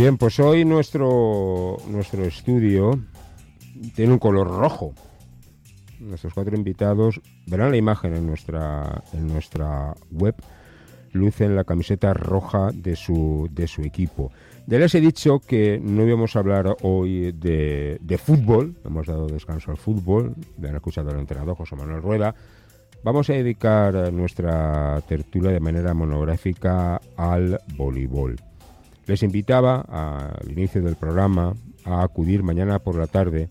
Bien, pues hoy nuestro estudio tiene un color rojo. Nuestros 4 invitados verán la imagen en nuestra web. Lucen la camiseta roja de su equipo. Ya les he dicho que no íbamos a hablar hoy de fútbol. Hemos dado descanso al fútbol. Le han acusado al entrenador José Manuel Rueda. Vamos a dedicar nuestra tertulia de manera monográfica al voleibol. Les invitaba al inicio del programa a acudir mañana por la tarde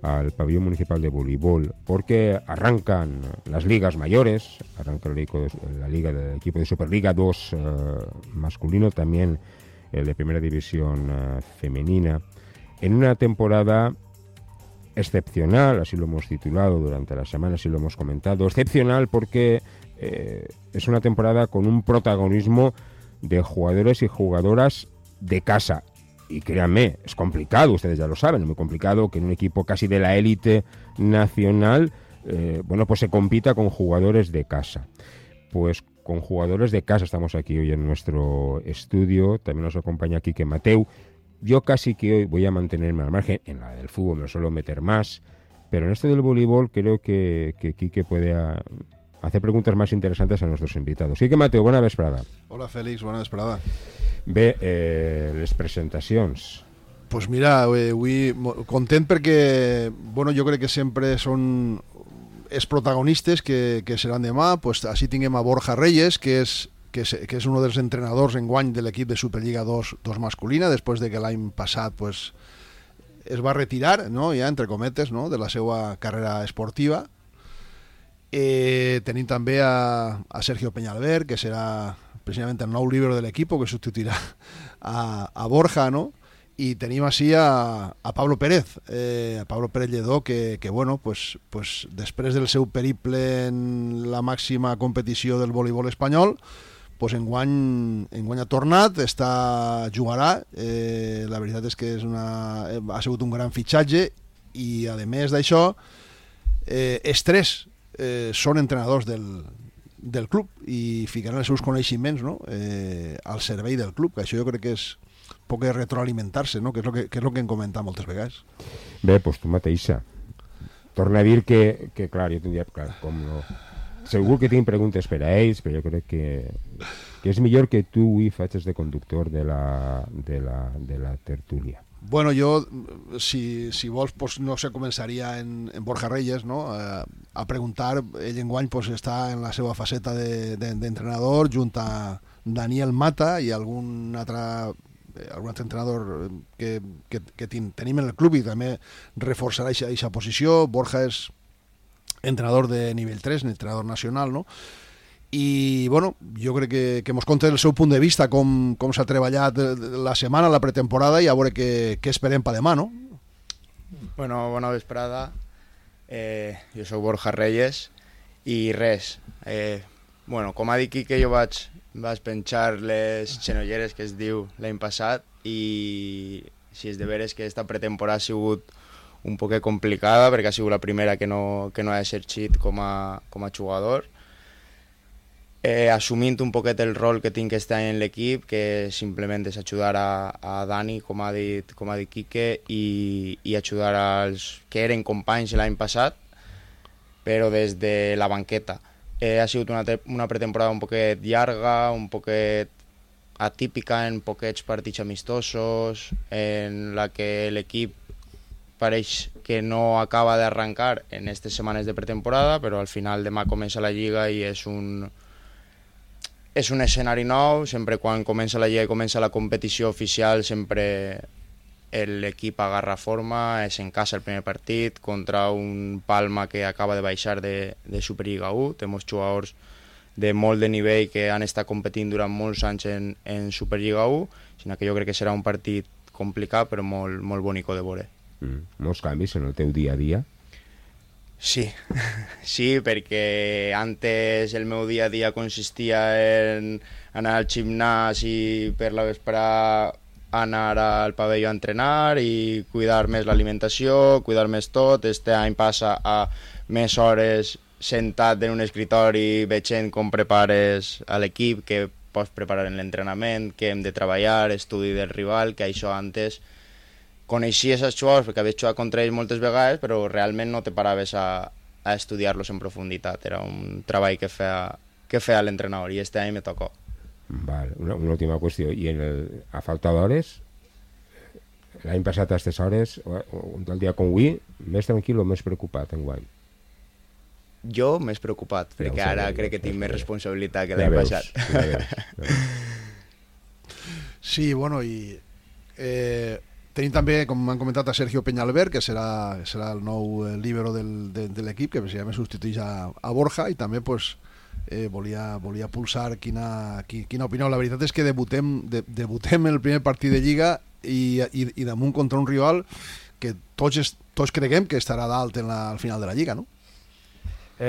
al pabellón municipal de voleibol, porque arrancan las ligas mayores, arranca la liga del equipo de Superliga 2 masculino, también el de primera división femenina, en una temporada excepcional, así lo hemos titulado durante la semana, así lo hemos comentado, excepcional porque es una temporada con un protagonismo de jugadores y jugadoras de casa. Y créanme, es complicado, ustedes ya lo saben, es muy complicado que en un equipo casi de la élite nacional, pues se compita con jugadores de casa. Pues con jugadores de casa estamos aquí hoy en nuestro estudio, también nos acompaña Quique Mateu. Yo casi que hoy voy a mantenerme al margen, en la del fútbol me lo suelo meter más, pero en esto del voleibol creo que Quique puede hacer preguntas más interesantes a nuestros invitados. Quique Mateu, bona vesprada. Hola Félix, bona vesprada. Bé, les presentacions. Pues mira, avui content perquè, jo crec que sempre són els protagonistes que seran demà. Pues així tinguem a Borja Reyes, que és un dels entrenadors enguany de l'equip de Superliga 2 masculina, després de que l'any passat pues, es va retirar, no? Ja entre cometes, no? De la seva carrera esportiva. Tenim també a Sergio Peñalver, que serà precisamente el nou líbero de l'equip que substituirà a Borja, no? I tenim així a Pablo Pérez, Lledó, que després del seu periple en la màxima competició del voleibol espanyol, pues enguany ha tornat, jugarà. La veritat és que ha sigut un gran fitxatge i, a més d'això, els tres són entrenadors del club i ficaran els seus coneixements, no? Al servei del club, que això jo crec que és poc retroalimentar-se, no? Que és el que hem comentat moltes vegades. Bé, doncs tu mateixa. Torna a dir que clar, jo tindria... Clar, com no... Segur que tinc preguntes per a ells, però jo crec que és millor que tu avui facis de conductor de la tertúlia. Bueno, jo, si vols, pues, no sé, començaria en Borja Reyes, no? A preguntar. Ell enguany pues, està en la seva faceta d'entrenador junt a Daniel Mata i algun altre entrenador que tenim en el club i també reforçarà aquesta posició. Borja és entrenador de nivell 3, entrenador nacional, no? I jo crec que mos conta el seu punt de vista, com s'ha treballat la setmana, la pretemporada, i a veure què esperem per demà, no? Bueno, bona vesprada. Jo soc Borja Reyes i res. Com ha dit Quique, jo vaig penjar les xenolleres, que es diu, l'any passat, i si és de veres que aquesta pretemporada ha sigut un poc complicada, perquè ha sigut la primera que no ha exercit com a jugador. Assumint un poquet el rol que tinc este any en l'equip, que simplement és ajudar a Dani, com ha dit Quique, i ajudar als que eren companys l'any passat, però des de la banqueta. Ha sigut una pretemporada un poquet llarga, un poquet atípica en poquets partits amistosos, en la que l'equip pareix que no acaba d'arrencar en aquestes setmanes de pretemporada, però al final demà comença la Lliga i és un escenari nou. Sempre quan comença la Lliga i comença la competició oficial, sempre l'equip agarra forma, és en casa el primer partit contra un Palma que acaba de baixar de Superliga 1. Tenim jugadors de molt de nivell que han estat competint durant molts anys en Superliga 1, sinó que jo crec que serà un partit complicat però molt, molt bonico de veure. Molts canvis en el teu dia a dia? Sí, perquè antes el meu dia a dia consistia en anar al gimnàs i per la vesprada anar al pavelló a entrenar i cuidar més l'alimentació, cuidar més tot. Este any passa a més hores sentat en un escritori veient com prepares a l'equip, que pots preparar en l'entrenament, què hem de treballar, estudi del rival, que això antes coneixies els jugadors perquè havies jugat contra ells moltes vegades, però realment no te paraves a estudiar-los en profunditat. Era un treball que feia l'entrenador i este any me tocó. Vale. Una última qüestió. I a falta d'hores, l'any passat a aquestes hores, un tal dia com avui, més tranquil o més preocupat enguany? Jo més preocupat, perquè ara crec que tinc més responsabilitat que l'any passat. Sí, bueno, i tenim també, com m'han comentat, a Sergio Peñalver, que serà el nou líbero de l'equip, que precisament substitueix a Borja, i també pues, volia pulsar quina opinió. La veritat és que debutem el primer partit de Lliga i damunt contra un rival que tots creguem que estarà dalt al final de la Lliga, no?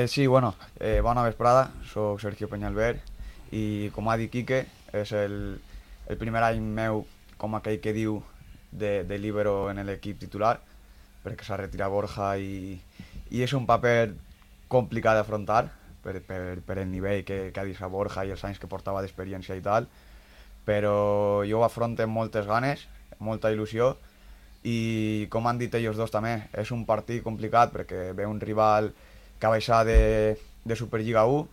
Sí, bueno, bona vesprada, soc Sergio Peñalver i com ha dit Quique, és el primer any meu com aquell que diu de líbero en l'equip titular, perquè s'ha retirat Borja i és un paper complicat d'afrontar per el nivell que ha deixat Borja i els anys que portava d'experiència i tal, però jo ho afronto amb moltes ganes, molta il·lusió, i com han dit ells dos també, és un partit complicat perquè ve un rival que ha baixat de Superliga 1,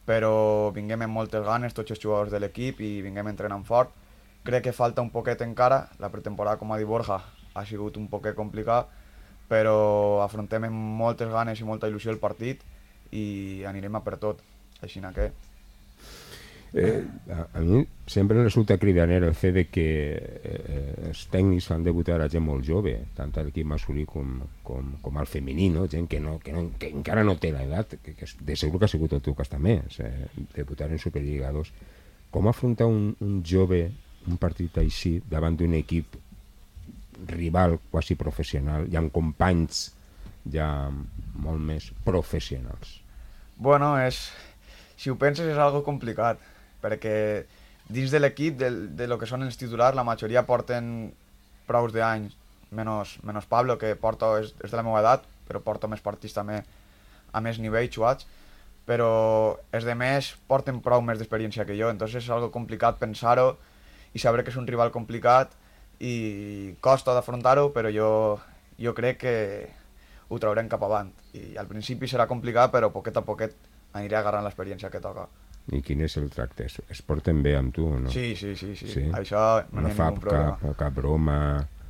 però vinguem amb moltes ganes tots els jugadors de l'equip i vinguem entrenant fort. Crec que falta un poquet encara, la pretemporada, com ha dit Borja, ha sigut un poquet complicat, però afrontem amb moltes ganes i molta il·lusió el partit i anirem a per tot, així que... A mi sempre resulta cridaner el fet de que els tècnics fan debutar a gent molt jove, tant a l'equip masculí com al femení, no? Gent que encara no té l'edat, que de segur que ha sigut el teu cas també, debutar en Superliga 2. Com afrontar un jove un partit així davant d'un equip rival quasi professional i amb companys ja molt més professionals? Bueno, si ho penses és algo complicat, perquè dins de l'equip, de lo que són els titulars, la majoria porten prous d'anys, menys Pablo, que és de la meva edat, però porta més partits també a més nivell jugats, però els de més porten prou més d'experiència que jo, entonces és algo complicat pensar-ho i saber que és un rival complicat i costa d'afrontar-ho, però jo crec que ho traurem cap avant. I al principi serà complicat, però poquet a poquet aniré agarrant l'experiència que toca. I quin és el tracte? Es porten bé amb tu o no? Sí. Això no hi ha ningú problema. Cap broma...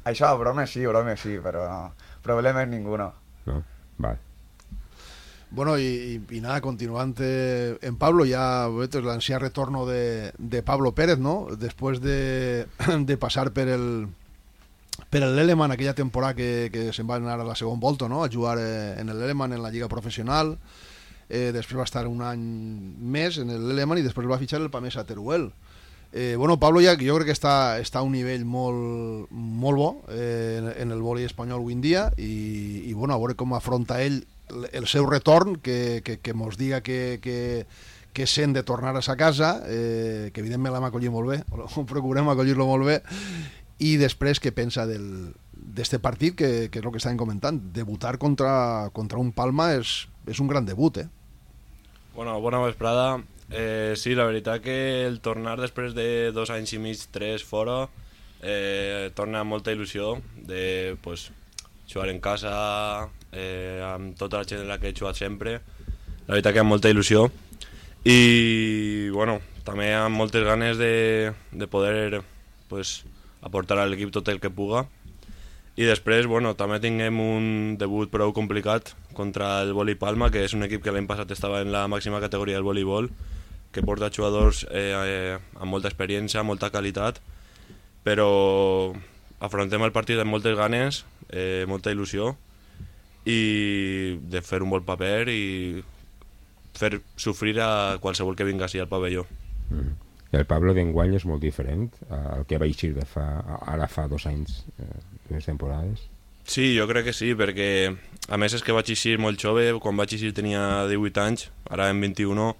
Això, bromes sí, però no. Problemes ninguno. No? Vale. Bueno, y nada, continuando en Pablo, ya el ansiado retorno de Pablo Pérez, ¿no? Después de pasar per el Leleman aquella temporada que se'n va anar a la segona volta, no? A jugar en el Leleman en la lliga professional, després va estar un any més en el Leleman i després va fitxar el Pamesa Teruel. Bueno, Pablo ja jo crec que està a un nivell molt bo en el vòlei espanyol avui en dia i bueno, a veure com afronta ell el seu retorn, que mos diga que sent de tornar a sa casa, que evidentment l'hem acollit molt bé, procurem acollir-lo molt bé, i després què pensa d'este partit, que és el que estàvem comentant. Debutar contra un Palma és un gran debut, Bueno, bona vesprada. Sí, la veritat que el tornar després de 2 anys i mig, 3 fora, torna amb molta il·lusió de jugar en casa, amb tota la gent en la que he jugat sempre. La veritat que amb molta il·lusió i bueno, també amb moltes ganes de poder aportar a l'equip tot el que puga. I després, bueno, també tinguem un debut prou complicat contra el Voli Palma, que és un equip que l'any passat estava en la màxima categoria del voleibol, que porta jugadors amb molta experiència, molta qualitat, però afrontem el partit amb moltes ganes, molta il·lusió, i de fer un bon paper i fer sofrir a qualsevol que vingui al pavelló. El Pablo d'enguany és molt diferent al que va eixir ara fa 2 anys, 2 temporades? Sí, jo crec que sí, perquè a més és que vaig eixir molt jove, quan vaig eixir tenia 18 anys, ara en 21,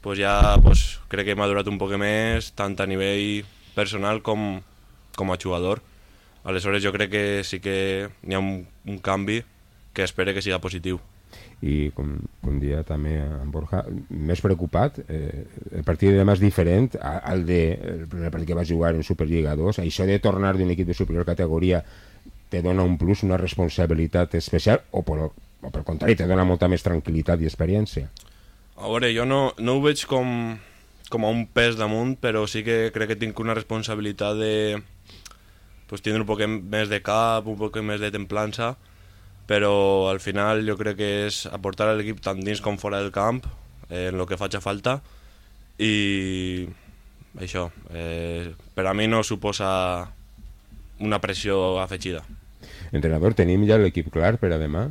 crec que he madurat un poc més, tant a nivell personal com a jugador. Aleshores jo crec que sí que hi ha un canvi que espero que siga positiu. I com dia també en Borja, més preocupat, el partit de demà és diferent al el primer partit que va jugar en Superliga 2. Això de tornar d'un equip de superior categoria te dona un plus, una responsabilitat especial, o per contrari, te dona molta més tranquil·litat i experiència? A veure, jo no ho veig com a un pes damunt, però sí que crec que tinc una responsabilitat de tindre un poc més de cap, un poc més de templança, però al final jo crec que és aportar a l'equip tant dins com fora del camp, en el que faci falta, i això, per a mi no suposa una pressió afegida. Entrenador, tenim ja l'equip clar per a demà?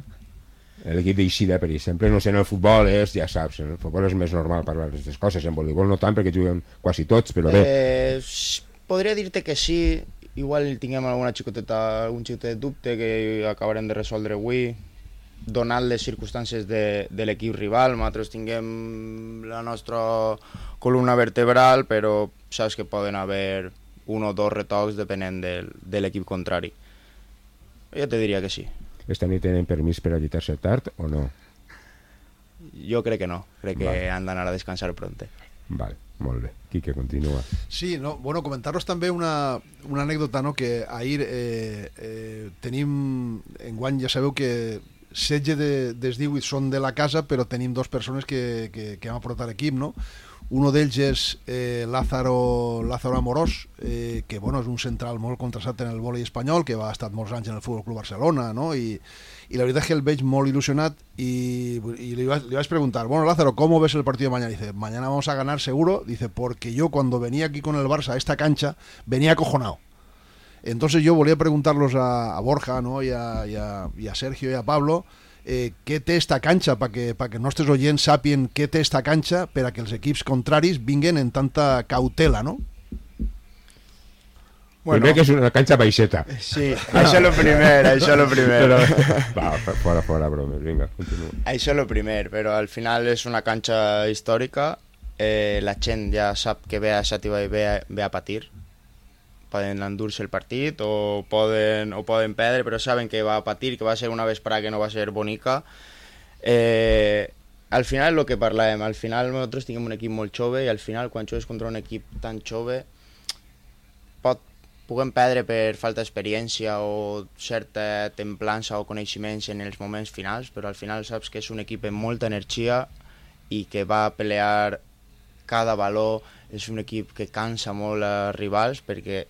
L'equip d'Eixida, per exemple, no sé, en el futbol ja saps, en el futbol és més normal parlar d'aquestes coses, en voleibol no tant perquè juguen quasi tots, però bé. Podria dir-te que sí, igual tinguem algun xicotet dubte que acabarem de resoldre avui, donant les circumstàncies de l'equip rival. Nosaltres tinguem la nostra columna vertebral, però saps que poden haver un o dos retocs depenent de l'equip contrari. Jo te diria que sí. Esta nit tenen permís per allitar-se tard o no? Jo crec que no, crec que han d'anar a descansar pronte. Vale, molt bé. Quique, continua. Sí, no, bueno, comentaros també una anècdota, no? Que ahir tenim, enguany ja sabeu que 16 dels 18 són de la casa, però tenim dos persones que hem aportat l'equip, no? Uno d'ells és Lázaro Amorós, que bueno, és un central molt contrastat en el vòlei espanyol, que ha estat molts anys en el Fútbol Club Barcelona, no? I la veritat és que el veig molt ilusionat y le vais a preguntar, bueno, Lázaro, ¿cómo ves el partido de mañana? Dice, mañana vamos a ganar seguro. Dice, porque yo cuando venía aquí con el Barça a esta cancha, venía acojonado. Entonces yo volví a preguntarlos a Borja, ¿no? y a Sergio y a Pablo, què té esta canxa, perquè els nostres oients sàpien què té esta canxa per a que els equips contraris vinguen en tanta cautela, no? Bueno, primer que és una canxa baixeta. Sí, això és el primer. Va, fora, bromes, vinga, continua. Això és el primer, però al final és una canxa històrica, la gent ja sap que ve a Xàtiva i ve a patir, poden endur-se el partit o poden perdre, però saben que va a patir, que va ser una vesprada que no va ser bonica. Al final el que parlàvem, al final nosaltres tinguem un equip molt jove i al final quan jugues contra un equip tan jove puguem perdre per falta d'experiència o certa templança o coneixements en els moments finals, però al final saps que és un equip amb molta energia i que va a pelear cada valor, és un equip que cansa molt als rivals, perquè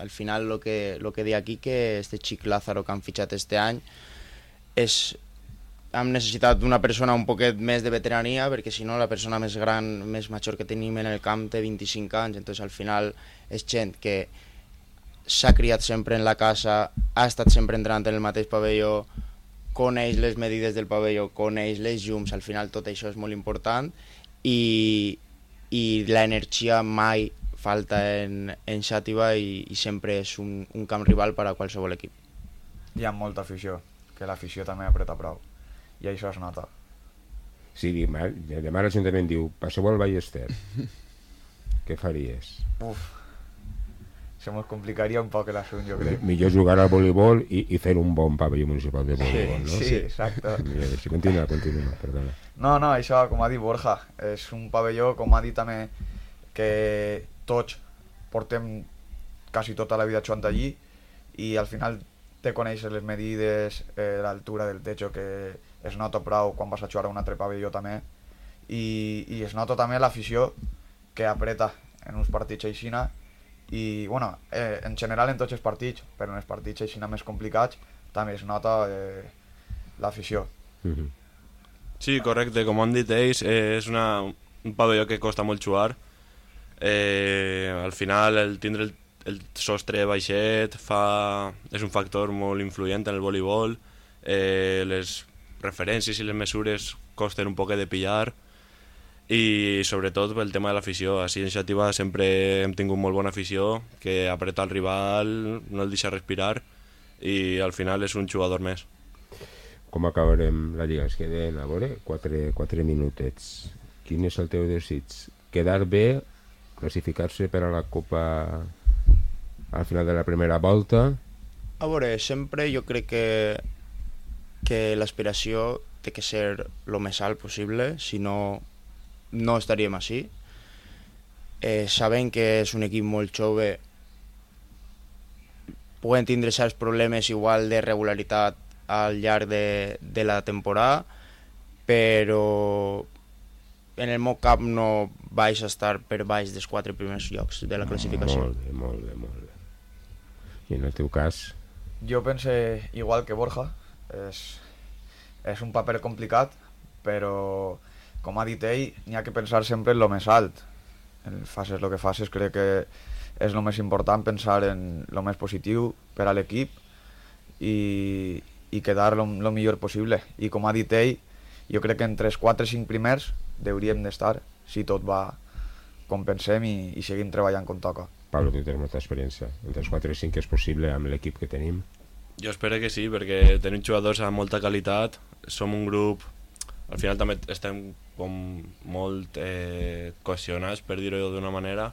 al final el que deia aquí, que este xic Lázaro que han fitxat este any, hem necessitat una persona un poquet més de veterania, perquè si no la persona més gran, més major que tenim en el camp té 25 anys, entonces al final és gent que s'ha criat sempre en la casa, ha estat sempre entrant en el mateix pavelló, coneix les medides del pavelló, coneix les llums, al final tot això és molt important i l'energia mai falta en Xàtiva i sempre és un camp rival per a qualsevol equip. Hi ha molta afició, que l'afició també apreta prou, i això es nota. Sí, demà l'Ajuntament diu, passeu al Ballester, què faries? Se nos complicaria un poc l'assumpte, jo crec. Millor jugar al voleibol i fer un bon pavelló municipal de voleibol, no? Sí, exacte. Sí, continua, perdona. No, això, com ha dit Borja, és un pavelló, com ha dit també, que tots portem quasi tota la vida jugant allí i al final te coneixes les medides, l'altura del techo, que es nota prou quan vas a jugar a un altre pavelló també, i es nota també l'afició que apreta en uns partits aixina. I bueno, en general en tots els partits, però en els partits així més complicats també es nota l'afició. Sí, correcte, com han dit ells, és un pavelló que costa molt jugar. Al final el tindre el sostre baixet és un factor molt influent en el voleibol. Les referències i les mesures costen un poc de pillar, i sobretot pel tema de l'afició. Així en Xàtiva sempre hem tingut molt bona afició, que apreta el rival, no el deixa respirar i al final és un jugador més. Com acabarem la Lliga? Es queden, a veure, 4 minutets. Quin és el teu desig? Quedar bé, classificar-se per a la Copa al final de la primera volta? A veure, sempre jo crec que l'aspiració té que ser lo més alt possible, si no, no estaríem així. Sabem que és un equip molt jove, poden tindre certs problemes igual de regularitat al llarg de la temporada, però en el meu cap no vaig estar per baix dels 4 primers llocs de la classificació. Molt bé. I en el teu cas? Jo pense igual que Borja, és un paper complicat, però com ha dit ell, n'hi ha que pensar sempre en lo més alt. Faces el que faces, crec que és el més important, pensar en lo més positiu per a l'equip i quedar lo millor possible. I com ha dit ell, jo crec que entre els 4 o 5 primers hauríem d'estar, si tot va com pensem i seguim treballant com toca. Pablo, tu tens molta experiència. Entre els 4 i 5 és possible amb l'equip que tenim? Jo espero que sí, perquè tenim jugadors amb molta qualitat, som un grup, al final també estem com molt cohesionats, per dir-ho d'una manera,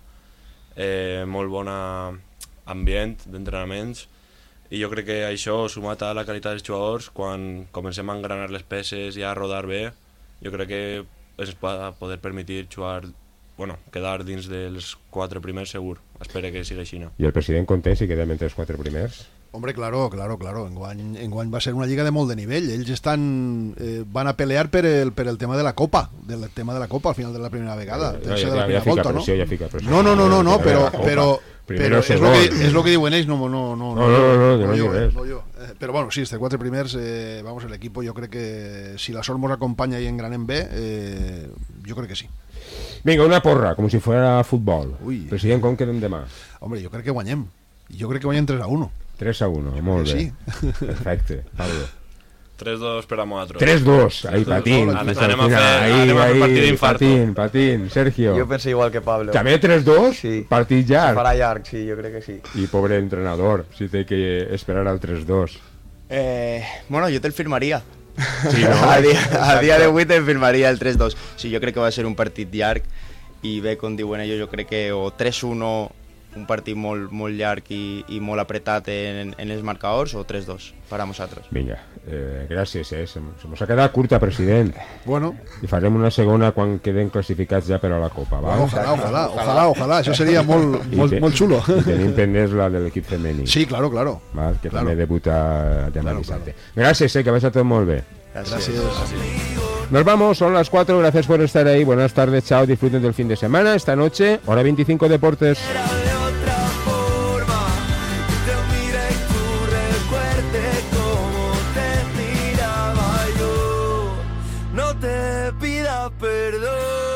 molt bon ambient d'entrenaments, i jo crec que això, sumat a la qualitat dels jugadors, quan comencem a engranar les peces i a rodar bé, jo crec que ens pot poder permetre jugar, quedar dins dels 4 primers segur. Espero que sigui així. I el president content si quedem entre els 4 primers? Hombre, claro. Enguany va ser una lliga de molt de nivell. Ells van a pelear per el tema de la Copa, al final de la primera vegada. Ja fica pressió. No, però Primero és lo que diuen ells, no jo. Però bueno, sí, estos 4 primers, el equipo, yo creo que si la sort nos acompaña y engranem bé, yo creo que sí. Vinga, una porra, com si fuera futbol. Ui. President, com quedem demà? Hombre, jo crec que guanyem. Jo crec que guanyem 3-1. 3-1, molt bé. Sí. Perfecte, Pablo. 3-2 per a nosaltres. 3-2, ahí patín. Anem a fer partit d'infarto. Patín, Sergio. Jo penso igual que Pablo. També 3-2? Sí. Partit Se llarg. farà llarg, sí, jo crec que sí. I pobre entrenador, si té que esperar al 3-2. Jo te'l firmaria. Sí, no? A dia d'avui te'l firmaria el 3-2. Sí, jo crec que va ser un partit llarg i bé, com diuen ells, jo crec que o 3-1, un partit molt llarg i molt apretat en els marcadors, o 3-2 per a nosaltres. Vinga, gràcies, se mos ha quedat curta, president. Bueno. I farem una segona quan queden classificats ja per a la Copa, va? Ojalà, això seria molt xulo. I tenim pendents la de l'equip femení. Sí, claro. Va, que també debuta demà dissabte. Gràcies, que vagi tot molt bé. Gracias. Nos vamos, son las 4, gracias por estar ahí, buenas tardes, chao, disfruten del fin de semana, esta noche, hora 25 Deportes. Perdón.